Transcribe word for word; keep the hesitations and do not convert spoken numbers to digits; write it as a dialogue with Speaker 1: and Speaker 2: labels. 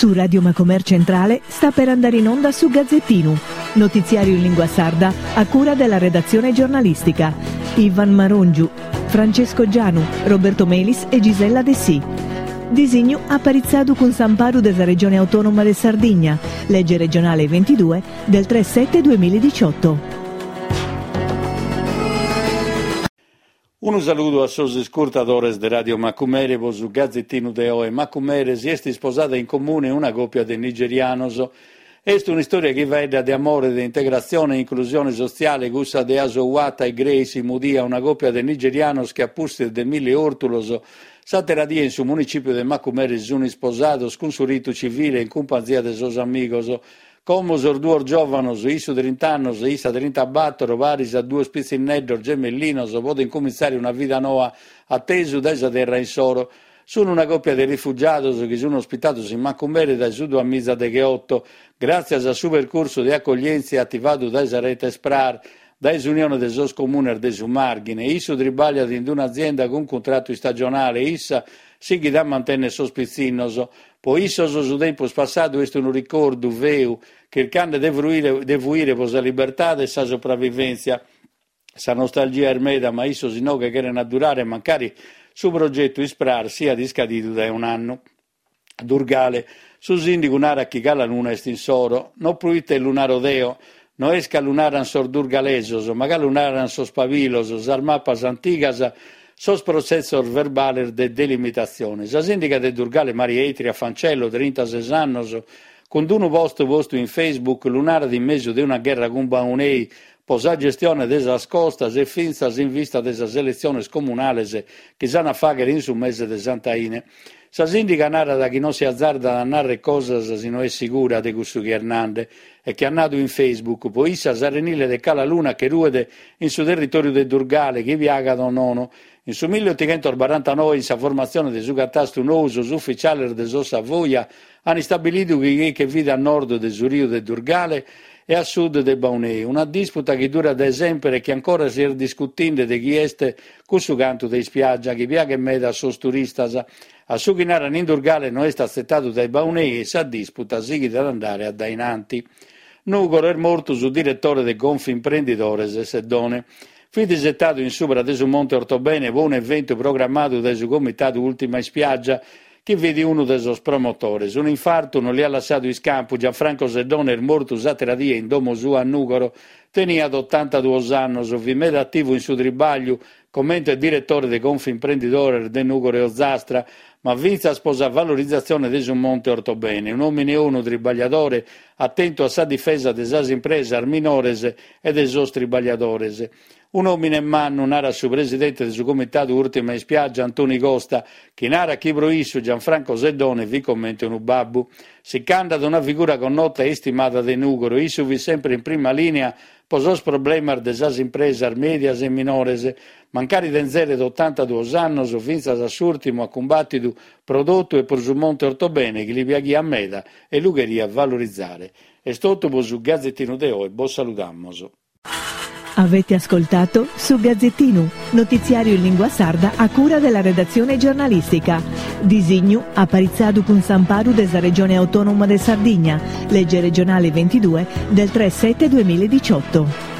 Speaker 1: Su Radio Macomer Centrale sta per andare in onda su Gazzettinu, notiziario in lingua sarda a cura della redazione giornalistica. Ivan Marongiu, Francesco Gianu, Roberto Melis e Gisella Dessì. Disignu aparitzadu cun s'amparu de sa Regione Autonoma de Sardigna, legge regionale ventidue del tre sette duemiladiciotto.
Speaker 2: Unu saludu a sos iscurtadores de Radio Macumere po su Gazzettinu de oe. Macumere si est isposada in comune una còpia de nigerianos. Est un'istòria chi faeddat de amore, de integratzione e inclusione sotziale, cussa de Asowata e Grace Mudia, una còpia de nigerianos chi a pustis de milli òrtulos s'àtera die in su municìpiu de Macumere si sunt isposados cun su ritu civile in cumpanzia de sos amigos. Como sos duos giòvanos, issu trint'annos e issa trintabatoro, paris a duos pitzinneddos gemellinos, podent cumintzare una vida noa a tesu dae sa terra insoro. Sunt una còpia de rifugiados chi sunt ospitados in Macumere dae su duamiza degheoto, gràtzias a su percursu de acoglièntzia ativadu dae sa rete SPRAR, dae s'Unione de sos Comunes de su Màrghine. Issu tribagliat in un'azienda cun cuntratu istagionale, issa sighit a mantènnere sos pitzinnos. Po issos su tempus passadu est unu ricordu feu, chircande de fruire, de fuire pro sa libertade e sa sopravvivèntzia. Sa nostalgia est meda, ma issos inoghe cheren addurare, mancari su progetu SPRAR siat iscadidu dae un'annu. Durgale, su sìndigu narat chi Cala Luna est insoro, no proite lu naro deo, no est ca lu naran sos durgalesos, ma ca lu naran sos pabilos, sas mapas antigas, sos protzessos verbales de delimitatzione. Sa sìndiga de Durgale Maria Itria Fancello, trintases annos, cun unu post postu in Facebook lu narat in mesu de una gherra cun Baunei po sa gestione de sas costas e fintzas in vista de sas eletziones comunales chi s'an a fàghere in su mese de Sant'Aine. Sa sìndiga narat chi non si azzardat a narrer cosas si no est sigura de cussu chi est nande e chi at nadu in Facebook po issa s'arenile de Cala Luna che ruet in su territòriu de Durgale, chi piagat o nono. In su milleotighentos barantanoe, in sa formatzione de su catastu nou, sos ufficiales de sos Savoia han istabilidu chi che fit a nord de su riu de Durgale e a sud de Baunei, una disputa chi dura dae sempre e chi ancora si est discutinde de chi est cussu cantu de ispiaggia chi piaghet meda a sos turistas. A su chi naran in Durgale no est atzettadu dae Baunei e sa disputa sighit ad andare a dainanti. Nùgoro, est mortu su direttore de Confimprendidores Seddone. Fit isettadu in subra de su Monte Ortobene po un'eventu programmadu dae su Comitadu Ultima Ispiaggia, chi fit unu de sos promotores. Un infartu non li at lassadu iscampu. Gianfranco Seddone est mortu s'àtera die in domo sua a Nùgoro. Teniat ottantaduos annos, fit meda attivu in su tribagliu, comente direttore de Confimprendidores de Nùgoro e Ozastra, ma fintzas po sa valorizatzione de su Monte Ortobene. Un òmine onu, tribagliadore, attentu a sa difesa de sas impresas minores e de sos tribagliadores. Un òmine mannu, narat su presidente de su Comitadu Ultima Ispiaggia, Antoni Costa, chi narat chi pro issu Gianfranco Seddone fit comente unu babbu. Si ch'andat una figura connota e istimada de Nùgoro, issu fit sempre in prima linea po sos problemas de sas impresas medias e minores. Mancari tenzeret ottantaduos annos, fintzas a s'ùrtimu at cumbàtidu pro totu e pro su Monte Ortobene, chi li piaghiat meda e lu cheriat valorizzare. Est totu po su Gazzettinu de oe, bos saludamos.
Speaker 1: Avete ascoltato Su Gazzettinu, notiziario in lingua sarda a cura della redazione giornalistica. Disignu aparitzadu cun s'amparu de sa Regione Autonoma de Sardigna, legge regionale ventidue del tre sette duemiladiciotto.